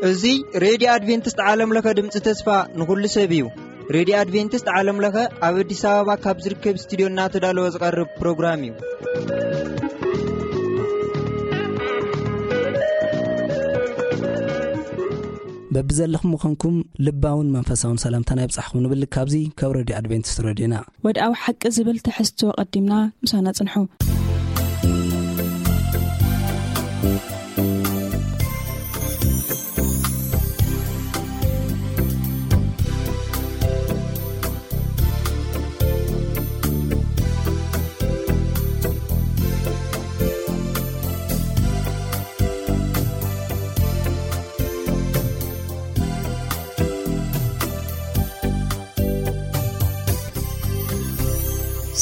እዚ ሬድዮ ኣድቬንቲስት ዓለም ለኸ ድምፂ ተስፋ ንኹሉ ሰብ እዩ። ሬድዮ ኣድቬንቲስት ዓለም ለኸ ኣብ ኣዲስ ኣበባ ካብ ዝርከብ ስቱዲዮ እናተዳለወ ዝቐርብ ፕሮግራም እዩ። በብዘለኹም ምዃንኩም ልባውን መንፈሳውን ሰላምታና ይብጻሕኩም ንብል ካብዚ ካብ ሬድዮ ኣድቬንቲስት ሬድዮና። ወድኣዊ ሓቂ ዝብል ትሕዝቶ ቀዲምና ምሳና ጽንሑ።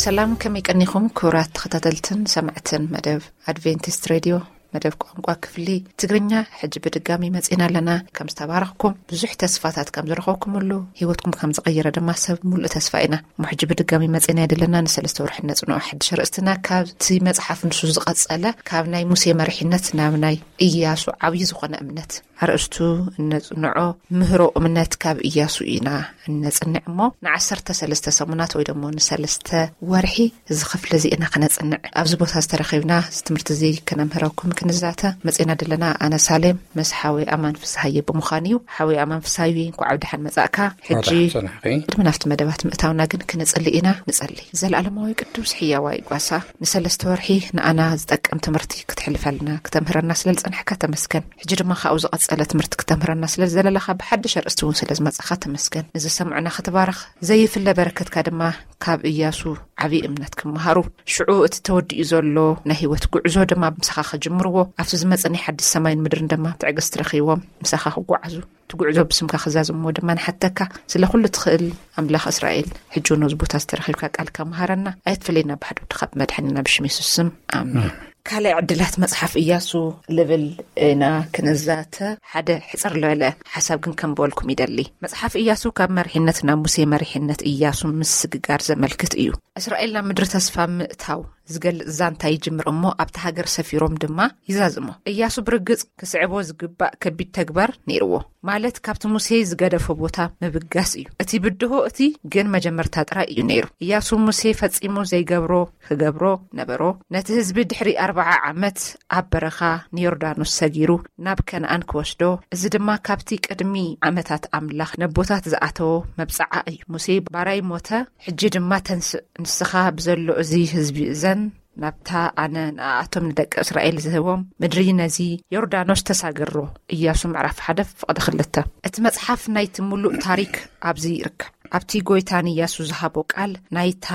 ሰላም፣ ከመይ ቀኒኹም ክቡራት ተኸታተልትን ሰማዕትን መደብ ኣድቬንቲስት ሬድዮ፣ መደብ ቋንቋ ክፍሊ ትግርኛ? ሕጂ ብድጋሚ መጺና ኣለና። ከም ዝተባረኽኩም ብዙሕ ተስፋታት ከም ዝረኸብኩምሉ፣ ህይወትኩም ከም ዝቐየረ ድማ ሰብ ሙሉእ ተስፋ ኢና። እሞ ሕጂ ብድጋሚ መጺና ኣይደለና፣ ንሰለስተ ወርሒ ነጽንዖ ሓድሽ ኣርእስትና ካብቲ መጽሓፍ ንሱ ዝቐጸለ፣ ካብ ናይ ሙሴ መሪሕነት ናብ ናይ ኢያሱ ዓብዪ ዝኾነ እምነት ኣርእስቱ እነጽንዖ ምህሮ እምነት ካብ ኢያሱ ኢና እነጽንዕ እሞ፣ ንዓሰርተ ሰለስተ ሰሙናት ወይ ደሞ ንሰለስተ ወርሒ እዚ ክፍሊ እዚ ኢና ክነጽንዕ ኣብዚ ቦታ ዝተረኺብና። እዚ ትምህርቲ እዚ ክነምህረኩም ክንዛተ መጺና ዘለና ኣነ ሳሌም ምስ ሓወይ ኣማን ፍስሃየ ብምዃን እዩ። ሓወይ ኣማን ፍስሃየ፣ እንኳዕ ኣብ ደሓን መጻእካ። ሕጂ ራሕሰናኺ። ቅድሚ ናብቲ መደባት ምእታውና ግን ክነጽሊ ኢና። ንጸሊ። ዘለኣለማዊ ቅዱስ ሕያዋይ ጓሳ፣ ንሰለስተ ወርሒ ንኣና ዝጠቅም ትምህርቲ ክትሕልፈልና፣ ክተምህረና ስለ ዝጸናሕካ ተመስገን። ሕጂ ድማ ካብኡ ዝቐጸለ ትምህርቲ ክተምህረና ስለ ዝደለኻ፣ ብሓድሽ ኣርእስቲ እውን ስለ ዝመጻኻ ተመስገን። ንዝሰምዑና ክትባርኽ፣ ዘይፍለ በረከትካ ድማ ካብ እያሱ ዓብዪ እምነት ክመሃሩ፣ ሽዑ እቲ ተወዲኡ ዘሎ ናይ ህይወት ጉዕዞ ድማ ምሳኻ ክጅምርዎ፣ ኣብቲ ዝመጸ ናይ ሓድሽ ሰማይን ምድርን ድማ ትዕግስቲ ረኺቦም ምሳኻ ክጓዓዙ፣ እቲ ጉዕዞ ብስምካ ክዛዝምዎ ድማ ንሓተካ። ስለ ኩሉ ትኽእል ኣምላኽ እስራኤል፣ ሕጂ እውን ኣብዚ ቦታ ዝተረኺብካ ቃልካ መሃረና፣ ኣይትፈለየና ብሓደ ወድኻ ብመድሓኒና ብሽም የሱስ ስም። ኣሜን። ካልኣይ ዕድላት መጽሓፍ እያሱ ልብል ኢና ክንዛተ። ሓደ ሕጽር ዝበለ ሓሳብ ግን ከንብበልኩም ይደሊ። መጽሓፍ እያሱ ካብ መሪሕነት ናብ ሙሴ መሪሕነት እያሱ ምስግጋር ዘመልክት እዩ። እስራኤል ናብ ምድሪ ተስፋ ምእታው ዝገልጽ ዛንታ ይጅምር እሞ ኣብቲ ሃገር ሰፊሮም ድማ ይዛዝሞ። እያሱ ብርግጽ ክስዕቦ ዝግባእ ከቢድ ተግባር ነይርዎ። ማለት ካብቲ ሙሴ ዝገደፎ ቦታ ምብጋስ እዩ። እቲ ብድሆ እቲ ግን መጀመርታ ጥራይ እዩ ነይሩ። እያሱ ሙሴ ፈጺሙ ዘይገብሮ ክገብሮ ነበሮ። ነቲ ህዝቢ ድሕሪ ኣርብዓ ዓመት ኣብ በረኻ ንዮርዳኖስ ሰጊሩ ናብ ከነኣን ክወስዶ፣ እዚ ድማ ካብቲ ቅድሚ ዓመታት ኣምላኽ ነቦታት ዝኣተዎ መብጽዓ እዩ። ሙሴ ባራይ ሞተ፣ ሕጂ ድማ ተንስእ፣ ንስኻ ብዘሎ እዚ ህዝቢ እዘን ናብታ ኣነ ንኣኣቶም ንደቂ እስራኤል ዝህቦም ምድሪ ነዚ ዮርዳኖስ ተሳገሮ። እያሱ ምዕራፍ ሓደ ፍቕዲ ክልተ። እቲ መጽሓፍ ናይቲ ምሉእ ታሪክ ኣብዚ ይርከብ። ኣብቲ ጎይታ ንእያሱ ዝሃቦ ቃል ናይታ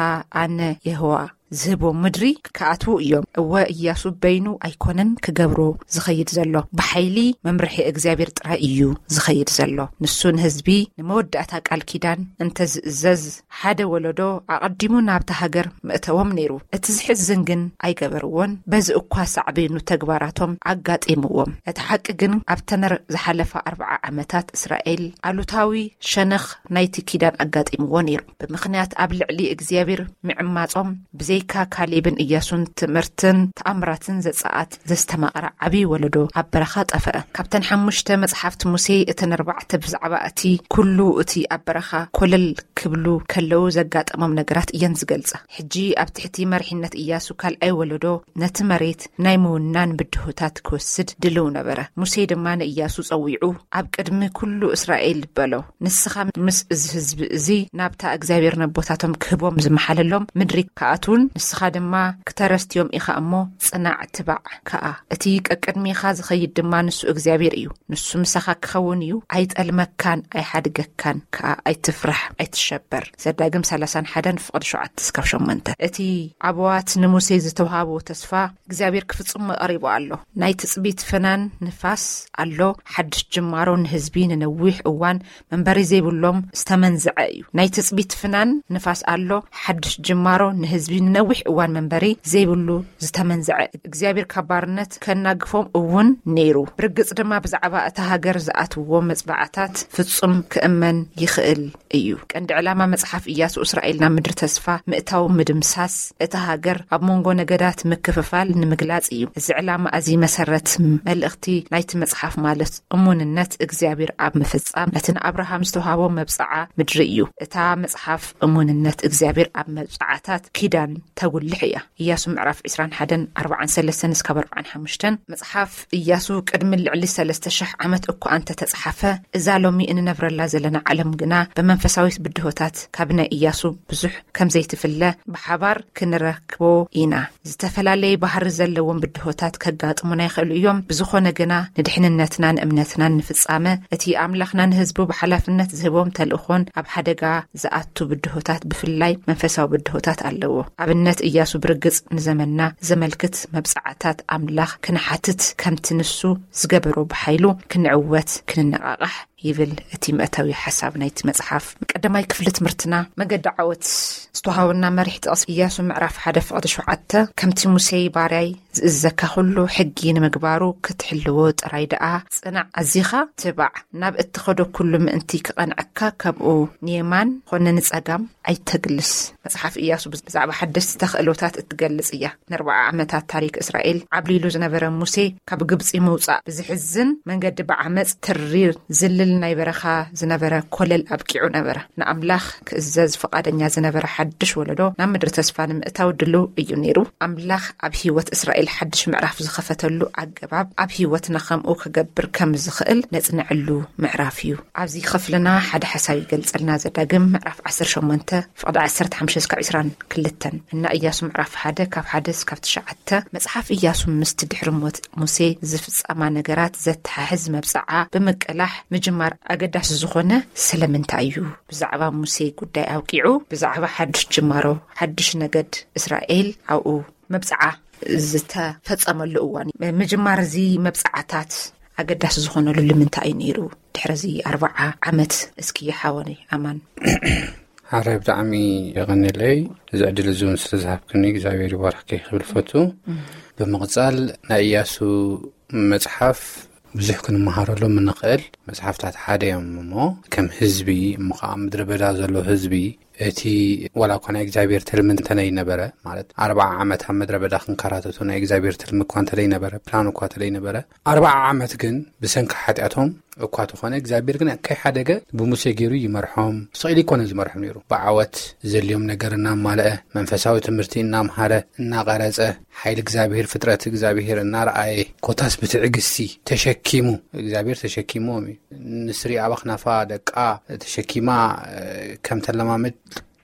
ኣነ የሆዋ ዝህቦ ምድሪ ክኣትዉ እዮም። እወ፣ እያሱ በይኑ ኣይኮነን ክገብሮ ዝኸይድ ዘሎ፣ ብሓይሊ መምርሒ እግዚኣብሔር ጥራይ እዩ ዝኸይድ ዘሎ። ንሱ ንህዝቢ ንመወዳእታ ቃል ኪዳን እንተዝእዘዝ፣ ሓደ ወለዶ ኣቐዲሙ ናብታ ሃገር ምእተዎም ነይሩ። እቲ ዝሕዝን ግን ኣይገበርዎን። በዚ እኳ ሳዕቤኑ ተግባራቶም ኣጋጢምዎም። እቲ ሓቂ ግን ኣብተን ዝሓለፋ ኣርብዓ ዓመታት እስራኤል ኣሉታዊ ሸነኽ ናይቲ ኪዳን ኣጋጢምዎ ነይሩ። ብምኽንያት ኣብ ልዕሊ እግዚኣብሔር ምዕማጾም ብዘይካ ካሌብን እያሱን ትምህርትን ተኣምራትን ዘጻኣት ዘስተማቕረ ዓብዪ ወለዶ ኣብ በረኻ ጠፈአ። ካብተን ሓሙሽተ መጽሓፍቲ ሙሴ እተን ኣርባዕተ ብዛዕባ እቲ ኩሉ እቲ ኣብ በረኻ ኮለል ክብሉ ከለዉ ዘጋጠሞም ነገራት እየን ዝገልጻ። ሕጂ ኣብ ትሕቲ መሪሕነት እያሱ ካልኣይ ወለዶ ነቲ መሬት ናይ ምውናን ብድሆታት ክወስድ ድልው ነበረ። ሙሴ ድማ ንእያሱ ጸዊዑ ኣብ ቅድሚ ኩሉ እስራኤል በሎ፣ ንስኻ ምስ እዚ ህዝቢ እዚ ናብታ እግዚኣብሔር ነቦታቶም ክህቦም ዝመሓለሎም ምድሪ ክኣትዉን ንስኻ ድማ ክተረስትዮም ኢኻ እሞ ጽናዕ ትባዕ ከኣ። እቲ ቀቅድሜኻ ዝኸይድ ድማ ንሱ እግዚኣብሔር እዩ። ንሱ ምሳኻ ክኸውን እዩ። ኣይጠልመካን ኣይሓድገካን ከኣ። ኣይትፍራሕ ኣይትሸበር። ዘዳግም ሰላሳን ሓደን ፍቕዲ ሸውዓተ እስካብ ሸሞንተ። እቲ ኣበዋት ንሙሴ ዝተውሃቦ ተስፋ እግዚኣብሔር ክፍጽሞ ቀሪቡ ኣሎ። ናይ ትጽቢት ፍናን ንፋስ ኣሎ። ሓድሽ ጅማሮ ንህዝቢ ንነዊሕ እዋን መንበሪ ዘይብሎም ዝተመንዝዐ እዩ። ናይ ትጽቢት ፍናን ንፋስ ኣሎ። ሓድሽ ጅማሮ ንህዝቢ ነዊሕ እዋን መንበሪ ዘይብሉ ዝተመንዝዐ እግዚኣብሔር ካብ ባርነት ከናግፎም እውን ነይሩ። ብርግጽ ድማ ብዛዕባ እታ ሃገር ዝኣትውዎ መጽባዕታት ፍጹም ክእመን ይኽእል እዩ። ቀንዲ ዕላማ መጽሓፍ ኢያሱ እስራኤል ናብ ምድሪ ተስፋ ምእታው ምድምሳስ እታ ሃገር ኣብ መንጎ ነገዳት ምክፍፋል ንምግላጽ እዩ። እዚ ዕላማ እዚ መሰረት መልእኽቲ ናይቲ መጽሓፍ ማለት እሙንነት እግዚኣብሔር ኣብ ምፍጻም ነቲ ንኣብርሃም ዝተውሃቦ መብጽዓ ምድሪ እዩ። እታ መጽሓፍ እሙንነት እግዚኣብሔር ኣብ መብጽዓታት ኪዳን ተጉልሕ እያ። ኢያሱ ምዕራፍ ዕስራን ሓደን ኣርባዓን ሰለስተን እስካብ ኣርባዓን ሓሙሽተን። መጽሓፍ ኢያሱ ቅድሚ ልዕሊ ሰለስተ ሽሕ ዓመት እኳ እንተተጽሓፈ፣ እዛ ሎሚ እንነብረላ ዘለና ዓለም ግና ብመንፈሳዊት ብድሆታት ካብ ናይ ኢያሱ ብዙሕ ከም ዘይትፍለ ብሓባር ክንረክቦ ኢና። ዝተፈላለየ ባህሪ ዘለዎም ብድሆታት ከጋጥሙና ይኽእሉ እዮም። ብዝኾነ ግና ንድሕንነትና፣ ንእምነትናን ንፍጻመ እቲ ኣምላኽና ንህዝቡ ብሓላፍነት ዝህቦም ተልእኾን ኣብ ሓደጋ ዝኣቱ ብድሆታት፣ ብፍላይ መንፈሳዊ ብድሆታት ኣለዎ። ኣብነት ኢያሱ ብርግጽ ንዘመንና ዘመልክት መብጽዓታት ኣምላኽ ክንሓትት፣ ከምቲ ንሱ ዝገበሮ ብሓይሉ ክንዕወት ክንነቓቓሕ ይብል እቲ መእተዊ ሓሳብ ናይቲ መጽሓፍ። ቀዳማይ ክፍሊ ትምህርትና መገዲ ዓወት ዝተዋሃበና መሪሕ ጥቕሲ ኢያሱ ምዕራፍ ሓደ ፍቕዲ ሸውዓተ፣ ከምቲ ሙሴ ባርያይ ዝእዘካ ኩሉ ሕጊ ንምግባሩ ክትሕልዎ ጥራይ ደኣ ጽናዕ፣ ኣዚኻ ትባዕ፣ ናብ እትኸዶ ኩሉ ምእንቲ ክቐንዐካ፣ ከምኡ ንየማን ኾነ ንጸጋም ኣይተግልስ። መጽሓፍ ኢያሱ ብዛዕባ ሓደስቲ ተኽእሎታት እትገልጽ እያ። ንኣርብዓ ዓመታት ታሪክ እስራኤል ዓብሊሉ ዝነበረ ሙሴ ካብ ግብጺ ምውጻእ ብዝሕዝን መንገዲ ብዓመጽ ትሪር ዝልል ናይ በረኻ ዝነበረ ኮለል ኣብቂዑ ነበረ። ንኣምላኽ ክእዘዝ ፍቓደኛ ዝነበረ ሓድሽ ወለዶ ናብ ምድሪ ተስፋ ንምእታው ድሉው እዩ ነይሩ። ኣምላኽ ኣብ ህይወት እስራኤል ሓድሽ ምዕራፍ ዝኸፈተሉ ኣገባብ ኣብ ህይወትና ከምኡ ክገብር ከም ዝኽእል ነጽንዐሉ ምዕራፍ እዩ። ኣብዚ ክፍልና ሓደ ሓሳብ ይገልጸልና። ዘዳግም ምዕራፍ ዓሰርተ ሸሞንተ ፍቕዲ ዓሰርተ ሓሙሽተ እስካብ ዕስራን ክልተን። እና ኢያሱ ምዕራፍ ሓደ ካብ ሓደ እስካብ ትሽዓተ። መጽሓፍ ኢያሱ ምስቲ ድሕሪ ሞት ሙሴ ዝፍጸማ ነገራት ዘተሓሕዝ መብጽዓ ብምቅላሕ ምጅማር ኣገዳሲ ዝኾነ ስለምንታይ እዩ? ብዛዕባ ሙሴ ጉዳይ ኣብቂዑ፣ ብዛዕባ ሓድሽ ጅማሮ፣ ሓድሽ ነገድ እስራኤል ኣብኡ መብጽዓ ዝተፈጸመሉ እዋን እዩ። ምጅማር እዚ መብጽዓታት ኣገዳሲ ዝኾነሉ ልምንታይ እዩ ነይሩ? ድሕሪ እዚ ኣርብዓ ዓመት እስኪ ሓወነይ ኣማን። ሓራይ ብጣዕሚ የቐንየለይ፣ እዚ ዕድል እዚ እውን ስለ ዝሃብክኒ እግዚኣብሔር ይባርኽኪ ክብል ፈቱ። ብምቕጻል ናይ ኢያሱ መጽሓፍ ብዙሕ ክንመሃረሎም እንኽእል መጽሓፍታት ሓደ እዮም እሞ፣ ከም ህዝቢ እሞ ከዓ ኣብ ምድረ በዳ ዘሎ ህዝቢ፣ እቲ ዋላ እኳ ናይ እግዚኣብሔር ትልሚ እንተነይ ነበረ፣ ማለት ኣርብዓ ዓመት ኣብ ምድረ በዳ ክንከራተቱ ናይ እግዚኣብሔር ትልሚ እኳ እንተለይ ነበረ፣ ፕላን እኳ እንተለይ ነበረ፣ ኣርብዓ ዓመት ግን ብሰንኪ ሓጢኣቶም እኳ ተኾነ እግዚኣብሔር ግን ከይሓደገ ብሙሴ ገይሩ ይመርሖም። ስቕ ኢሉ ይኮነ ዝመርሖም ነይሩ። ብዓወት ዘልዮም ነገር እናማልአ፣ መንፈሳዊ ትምህርቲ እናምሃረ፣ እናቐረጸ፣ ሓይሊ እግዚኣብሔር፣ ፍጥረት እግዚኣብሔር እናረኣየ፣ ኮታስ ብትዕግስቲ ተሸኪሙ፣ እግዚኣብሔር ተሸኪምዎም እዩ። ንስሪ ኣባኽናፋ ደቃ ተሸኪማ፣ እ፣ ከም ተለማምድ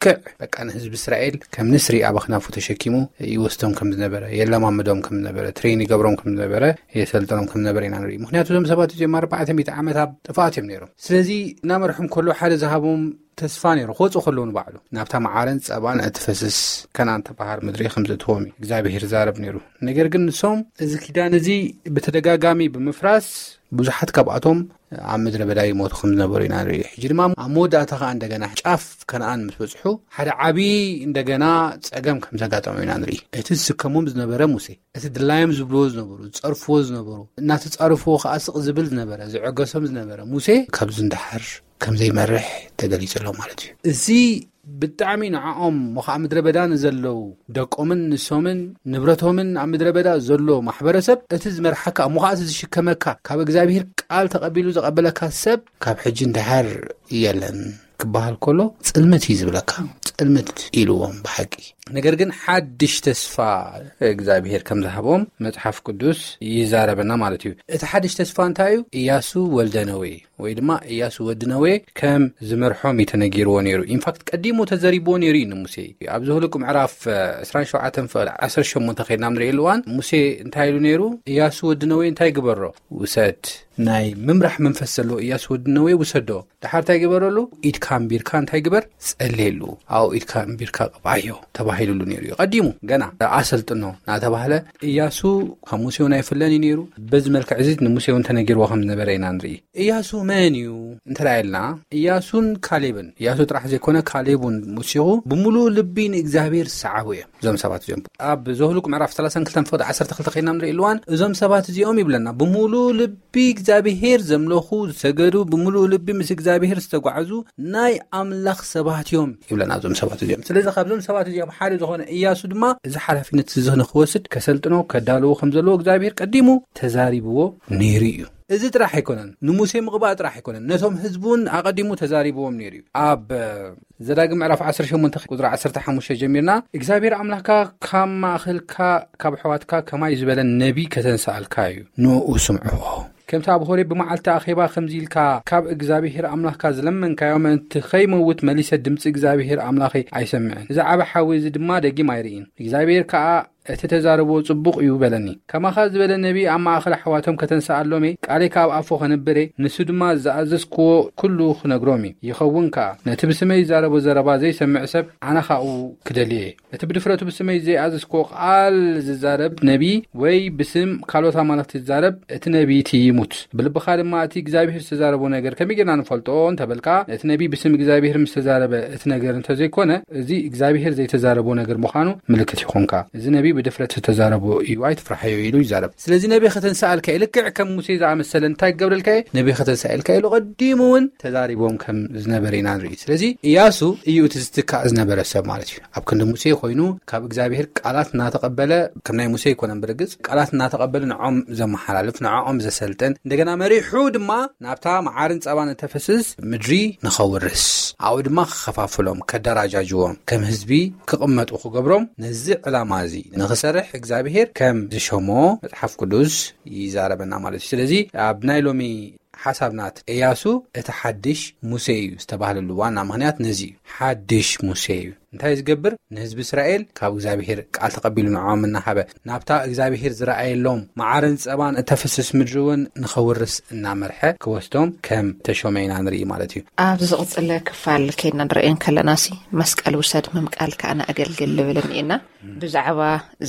ልክዕ በቃ ንህዝቢ እስራኤል ከም ንስሪ ኣባኽናፉ ተሸኪሙ ይወስዶም ከም ዝነበረ፣ የለማምዶም ከም ዝነበረ፣ ትሬን ይገብሮም ከም ዝነበረ፣ የሰልጥኖም ከም ዝነበረ ኢና ንርኢ። ምኽንያቱ እዞም ሰባት እዚኦም ኣርባዕተ ሚእቲ ዓመት ኣብ ጥፍኣት እዮም ነይሮም። ስለዚ እናመርሖም ከሎ ሓደ ዝሃቦም ተስፋ ነይሩ። ክወፁ ከለዉ ንባዕሉ ናብታ መዓረን ጸባን እትፈስስ ከነኣን ትበሃል ምድሪ ከም ዘእትዎም እዩ እግዚኣብሔር ይዛረብ ነይሩ። ነገር ግን ንሶም እዚ ኪዳን እዚ ብተደጋጋሚ ብምፍራስ ብዙሓት ካብኣቶም ኣብ ምድረ በዳ ይሞቱ ከም ዝነበሩ ኢና ንርኢ። ሕጂ ድማ ኣብ መወዳእታ ከኣ እንደገና ጫፍ ከነኣን ምስ በጽሑ ሓደ ዓቢ እንደገና ጸገም ከም ዘጋጠሙ ኢና ንርኢ። እቲ ዝስከሞም ዝነበረ ሙሴ፣ እቲ ድላዮም ዝብልዎ ዝነበሩ፣ ዝጸርፍዎ ዝነበሩ፣ እናተጻረፍዎ ከኣ ስቕ ዝብል ዝነበረ፣ ዝዕገሶም ዝነበረ ሙሴ ካብዚ ንደሓር ከም ዘይመርሕ ተገሊጹ ኣሎ ማለት እዩ። እዚ ብጣዕሚ ንዕኦም እሞ ኸዓ ምድረ በዳ ንዘለዉ ደቆምን ንሶምን ንብረቶምን ኣብ ምድረ በዳ ዘሎ ማሕበረሰብ እቲ ዝመርሓካ እሞ ኸዓ እቲ ዝሽከመካ ካብ እግዚኣብሔር ቃል ተቐቢሉ ዘቐበለካ ሰብ ካብ ሕጂ ንደሓር የለን ክበሃል ከሎ ጽልምት እዩ ዝብለካ። ጽልምት ኢልዎም ብሓቂ። ነገር ግን ሓድሽ ተስፋ እግዚኣብሔር ከም ዝሃቦም መጽሓፍ ቅዱስ ይዛረበና ማለት እዩ። እቲ ሓድሽ ተስፋ እንታይ እዩ? ኢያሱ ወልደ ነዌ ወይ ድማ ኢያሱ ወዲ ነዌ ከም ዝመርሖም እዩ ተነጊርዎ ነይሩ። ኢንፋክት ቀዲሙ ተዘሪብዎ ነይሩ እዩ ንሙሴ። ኣብ ዘሁልቁ ምዕራፍ ዕስራን ሸውዓተን ፍቕዲ ዓሰርተ ሸሞንተ ከይድና ንርእየሉ እዋን ሙሴ እንታይ ኢሉ ነይሩ? ኢያሱ ወዲ ነዌ እንታይ ግበሮ? ውሰድ፣ ናይ ምምራሕ መንፈስ ዘለዎ እያሱ ወዲ ነነዌ ውሰዶ። ድሓር እንታይ ግበረሉ? ኢድካ ኣንቢርካ እንታይ ግበር? ጸልየሉ። ኣብኡ ኢድካ ኣንቢርካ ቅብኣዮ ተባሂሉሉ ነይሩ እዩ። ቀዲሙ ገና ኣሰልጥኖ እናተባህለ እያሱ ካብ ሙሴ እውን ኣይፍለን እዩ ነይሩ። በዚ መልክዕ እዚ ንሙሴ እውን ተነጊርዎ ከም ዝነበረ ኢና ንርኢ። እያሱ መን እዩ እንተ ኢልና፣ እያሱን ካሌብን፣ እያሱ ጥራሕ ዘይኮነ ካሌብ እውን ወሲኹ ብምሉእ ልቢ ንእግዚኣብሔር ዝሰዓቡ እዮም። እዞም ሰባት እዚኦም ኣብ ዘኍልቁ ምዕራፍ ሰላሳን ክልተን ፍቕዲ ዓሰርተ ክልተ ከይና ንርኢ ኣለዋን፣ እዞም ሰባት እዚኦም ይብለና፣ ብምሉእ ልቢ እግዚኣብሔር ዘምለኹ፣ ዝሰገዱ፣ ብምሉእ ልቢ ምስ እግዚኣብሔር ዝተጓዕዙ ናይ ኣምላኽ ሰባት እዮም ይብለና እዞም ሰባት እዚኦም። ስለዚ ካብዞም ሰባት እዚኦም ሓደ ዝኾነ እያሱ ድማ እዚ ሓላፊነት እዚ ንክወስድ ከሰልጥኖ ከዳልዎ ከም ዘለዎ እግዚኣብሔር ቀዲሙ ተዛሪብዎ ነይሩ እዩ። እዚ ጥራሕ ኣይኮነን፣ ንሙሴ ምቕባእ ጥራሕ ኣይኮነን፣ ነቶም ህዝቡን ኣቐዲሙ ተዛሪብዎም ነይሩ እዩ። ኣብ ዘዳግም ምዕራፍ ዓሰርተ ሸሞንተ ቁጽሪ ዓሰርተ ሓሙሽተ ጀሚርና፣ እግዚኣብሔር ኣምላኽካ ካብ ማእኸልካ ካብ ኣሕዋትካ ከማይ ዝበለ ነቢ ከተንስኣልካ እዩ፣ ንኡ ስምዕዎ። ከምቲ ኣብ ሆሬብ ብመዓልቲ ኣኼባ ከምዚ ኢልካ ካብ እግዚኣብሔር ኣምላኽካ ዝለመንካዮ፣ ምእንቲ ኸይመውት መሊሰ ድምፂ እግዚኣብሔር ኣምላኸይ ኣይሰምዕን፣ እዚ ዓቢ ሓዊ እዚ ድማ ደጊም ኣይርእን። እግዚኣብሔር ከኣ እቲ ተዛረቦ ጽቡቕ እዩ በለኒ። ከማኻ ዝበለ ነቢ ኣብ ማእከል ኣሕዋቶም ከተንስኣሎም እየ፣ ቃለይ ከኣ ኣብ ኣፉ ከንብር እየ፣ ንሱ ድማ ዝኣዘዝክዎ ኩሉ ክነግሮም እዩ። ይኸውን ከኣ፣ ነቲ ብስመይ ዝዛረቦ ዘረባ ዘይሰምዕ ሰብ ኣነ ኻኡ ክደልዮ እየ። እቲ ብድፍረቱ ብስመይ ዘይኣዘዝክዎ ቃል ዝዛረብ ነቢ ወይ ብስም ካልኦት ኣማልኽቲ ዝዛረብ፣ እቲ ነቢ እቲ ይሙት። ብልብኻ ድማ እቲ እግዚኣብሔር ዝተዛረቦ ነገር ከመይ ጌርና ንፈልጦ እንተበልካ፣ ነቲ ነቢ ብስም እግዚኣብሔር ምስ ተዛረበ እቲ ነገር እንተዘይኮነ፣ እዚ እግዚኣብሔር ዘይተዛረቦ ነገር ምዃኑ ምልክት ይኾንካ። እዚ ነቢ ብድፍረት ዝተዛረቦ እዩ፣ ኣይትፍርሓዮ ኢሉ ይዛረብ። ስለዚ ነቢ ከተንስኣልካ እዩ። ልክዕ ከም ሙሴ ዝኣመሰለ እንታይ ክገብረልካ እዩ? ነቢ ከተንስኣልካ ኢሉ ቀዲሙ እውን ተዛሪቦም ከም ዝነበረ ኢና ንርኢ። ስለዚ እያሱ እዩ እቲ ዝትካእ ዝነበረ ሰብ ማለት እዩ። ኣብ ክንዲ ሙሴ ኮይኑ ካብ እግዚኣብሔር ቃላት እናተቐበለ፣ ከም ናይ ሙሴ ኣይኮነን ብርግጽ፣ ቃላት እናተቐበለ ንዖም ዘመሓላልፍ፣ ንዕኦም ዘሰልጥን፣ እንደገና መሪሑ ድማ ናብታ መዓርን ጸባን እተፈስስ ምድሪ ንኸውርስ፣ ኣብኡ ድማ ክኸፋፍሎም፣ ከደራጃጅዎም፣ ከም ህዝቢ ክቕመጡ ክገብሮም፣ ነዚ ዕላማ እዚ ንኽሰርሕ እግዚኣብሔር ከም ዝሸሞ መጽሓፍ ቅዱስ ይዛረበና ማለት እዩ። ስለዚ ኣብ ናይ ሎሚ ሓሳብ ናት እያሱ እቲ ሓድሽ ሙሴ እዩ ዝተባህለሉ ዋና ምኽንያት ነዚ እዩ። ሓድሽ ሙሴ እዩ። እንታይ ዝገብር? ንህዝቢ እስራኤል ካብ እግዚኣብሔር ቃል ተቐቢሉ ንዕኦም እናሃበ፣ ናብታ እግዚኣብሔር ዝረኣየሎም መዓርን ጸባን እተፍስስ ምድሪ እውን ንኸውርስ እናመርሐ ክወስዶም ከም ተሾመ ኢና ንርኢ ማለት እዩ። ኣብ ዝቕጽለ ክፋል ከይና ንርእዮ ከለናሲ፣ መስቀል ውሰድ ምምቃል ከኣ ንኣገልግል ልብል እኒኤና። ብዛዕባ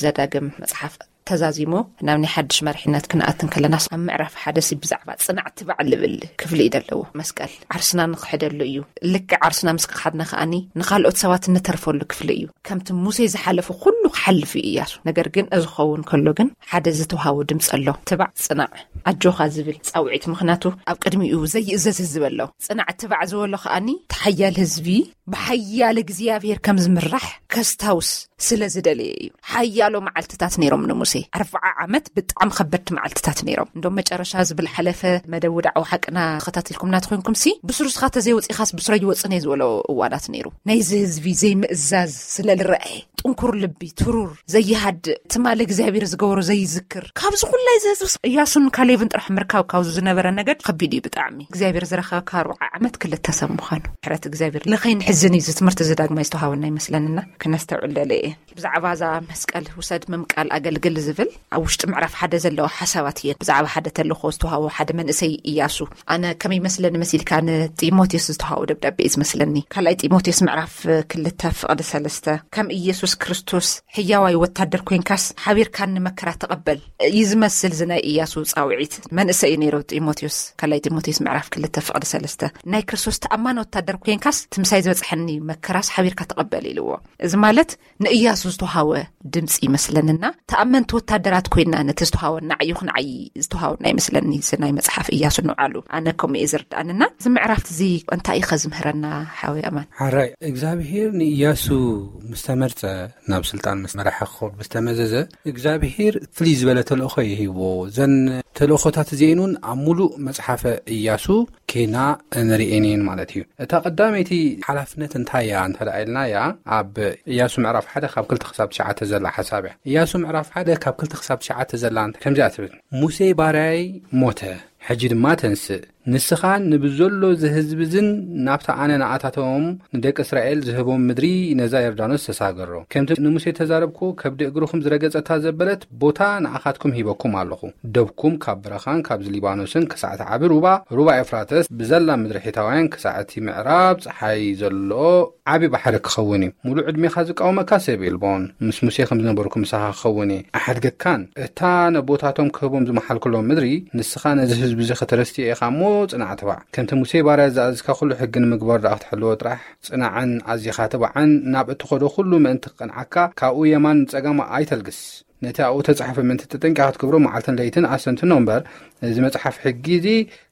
ዘዳግም መጽሓፍ ተዛዚሙ ናብ ናይ ሓድሽ መሪሕነት ክንኣትን ከለናስ፣ ኣብ ምዕራፍ ሓደ ሲ ብዛዕባ ጽናዕ ትባዕ ልብል ክፍሊ እዩ ዘለዎ። መስቀል ዓርስና ንክሕደሉ እዩ። ልክዕ ዓርስና ምስ ክሓድና ከኣኒ ንኻልኦት ሰባት እንተርፈሉ ክፍሊ እዩ። ከምቲ ሙሴ ዝሓለፉ ኩሉ ክሓልፍ እዩ እያሱ። ነገር ግን እዚ ክኸውን ከሎ ግን ሓደ ዝተውሃቦ ድምፂ ኣሎ። ትባዕ ጽናዕ ኣጆኻ ዝብል ጻውዒት። ምኽንያቱ ኣብ ቅድሚኡ ዘይእዘዝ ህዝቢ ኣሎ። ጽናዕ ትባዕ ዝበሎ ከኣኒ እቲ ሓያል ህዝቢ ብሓያል እግዚኣብሔር ከም ዝምራሕ ከስታውስ ስለ ዝደለየ እዩ። ሓያሎ መዓልትታት ነይሮም ንሙሴ። ኣርብዓ ዓመት ብጣዕሚ ከበድቲ መዓልትታት ነይሮም። እንዶም መጨረሻ ዝብል ሓለፈ መደብ ውዳዕዊ ሓቅና ተኸታቲልኩምና ተኾይንኩም ሲ፣ ብስሩ ስኻ ተዘይወፂኻስ ብስረይ ይወፅን እየ ዝበሎ እዋናት ነይሩ። ናይዚ ህዝቢ ዘይምእዛዝ ስለ ዝረኣየ፣ ጥንኩር ልቢ፣ ትሩር፣ ዘይሃድእ፣ ትማሊ እግዚኣብሔር ዝገበሮ ዘይዝክር፣ ካብዚ ኩላይ እዚ ህዝቢ እያሱን ካሌብን ጥራሕ ምርካብ ካብዚ ዝነበረ ነገድ ከቢድ እዩ ብጣዕሚ። እግዚኣብሔር ዝረኸበካ ኣርብዓ ዓመት ክልተ ሰብ ምዃኑ። ምሕረት እግዚኣብሔር። ንኸይንሕዝን እዩ እዚ ትምህርቲ እዚ ዳግማይ ዝተዋሃበና ይመስለንና። ክነስተውዕል ደለ እየ። ብዛዕባ እዛ መስቀል ውሰድ ምምቃል ኣገልግል ዝብል ኣብ ውሽጢ ምዕራፍ ሓደ ዘለዋ ሓሳባት እየን። ብዛዕባ ሓደ ተልእኾ ዝተዋሃቦ ሓደ መንእሰይ እያሱ። ኣነ ከመይ ይመስለኒ መሲልካ ንጢሞቴዎስ ዝተዋሃቦ ደብዳቤ እዩ ዝመስለኒ። ካልኣይ ጢሞቴዎስ ምዕራፍ ክልተ ፍቕዲ ሰለስተ፣ ከም ኢየሱስ ክርስቶስ ሕያዋይ ወታደር ኮይንካስ ሓቢርካኒ መከራ ተቐበል እዩ ዝመስል። እዚ ናይ እያሱ ጻውዒት መንእሰይ እዩ ነይሩ ጢሞቴዎስ። ካልኣይ ጢሞቴዎስ ምዕራፍ ክልተ ፍቕዲ ሰለስተ፣ ናይ ክርስቶስ ተኣማኒ ወታደር ኮይንካስ እቲ ምሳይ ዝበጽሐኒ መከራስ ሓቢርካ ተቐበል ኢልዎ። እዚ ማለት ንእያሱ ዝተውሃወ ድምፂ ይመስለንና። ተኣመንቲ ወታደራት ኮይንና ነቲ ዝተውሃወና ዕዩኽ ንዓይ ዝተውሃወና ይመስለኒ። እዚ ናይ መጽሓፍ እያሱ ንባዕሉ ኣነ ከምኡ እየ ዝርድኣንና። እዚ ምዕራፍ እዚ እንታይ እዩ ከዝምህረና ሓወይ ኣማን? ሓራይ እግዚኣብሄር ንእያሱ ምስ ተመርጸ፣ ናብ ስልጣን ምስ መራሐ ክኸውን ምስ ተመዘዘ፣ እግዚኣብሄር ፍልይ ዝበለ ተልእኾ ይህብዎ። ዘን ተልእኾታት እዚኤን እውን ኣብ ሙሉእ መጽሓፈ እያሱ ኬና እንርእየን እየን ማለት እዩ። እታ ቀዳመይቲ ሓላፍነት እንታይ እያ እንተ ደኣ ኢልናያ፣ ኣብ እያሱ ምዕራፍ ሓደ ካብ ክልተ ክሳብ ትሽዓተ ዘላ ሓሳብ እያ። እያሱ ምዕራፍ ሓደ ካብ ክልተ ክሳብ ትሽዓተ ዘላ እንተ-፣ ከምዚኣ ትብል፣ "ሙሴ ባርያይ ሞተ፣ ሕጂ ድማ ተንስእ፣ ንስኻን ንብዘሎ ዝህዝብዝን ናብታ ኣነ ንኣታቶም ንደቂ እስራኤል ዝህቦም ምድሪ ነዛ ዮርዳኖስ ተሳገሮ። ከምቲ ንሙሴ ተዛረብኩ፣ ከብዲ እግርኹም ዝረገጸታ ዘበለት ቦታ ንኣኻትኩም ሂበኩም ኣለኹ። ደብኩም ካብ በረኻን ካብዚ ሊባኖስን ክሳዕ እቲ ዓቢ ሩባ፣ ሩባ ኤፍራተስ፣ ብዘላ ምድሪ ሒታውያን ክሳዕ እቲ ምዕራብ ጸሓይ ዘሎ ዓቢ ባሕሪ ክኸውን እዩ። ሙሉእ ዕድሜኻ ዝቃወመካ ሰብ የልቦን። ምስ ሙሴ ከም ዝነበርኩ ምሳኻ ክኸውን እየ። ኣሓድገካን እታ ነቦታቶም ክህቦም ዝመሓልኩሎም ምድሪ ንስኻ ነዚ ህዝቢ እዚ ከተረስትዮ ኢኻ እሞ ጽናዕ ትባዕ። ከምቲ ሙሴ ባርያ ዝኣዝካ ኩሉ ሕጊ ንምግባር ደኣ ክትሕልዎ ጥራሕ ጽናዕን ኣዚኻ ትባዕን ናብ እትኸዶ ኩሉ ምእንቲ ክቀንዓካ ካብኡ የማን ጸጋም ኣይተልግስ። ነቲ ኣብኡ ተጻሕፈ ምእንቲ ተጠንቂኻ ክትገብሮ መዓልትን ለይትን ኣስተንትኖ እምበር፣ እዚ መጽሓፍ ሕጊ እዚ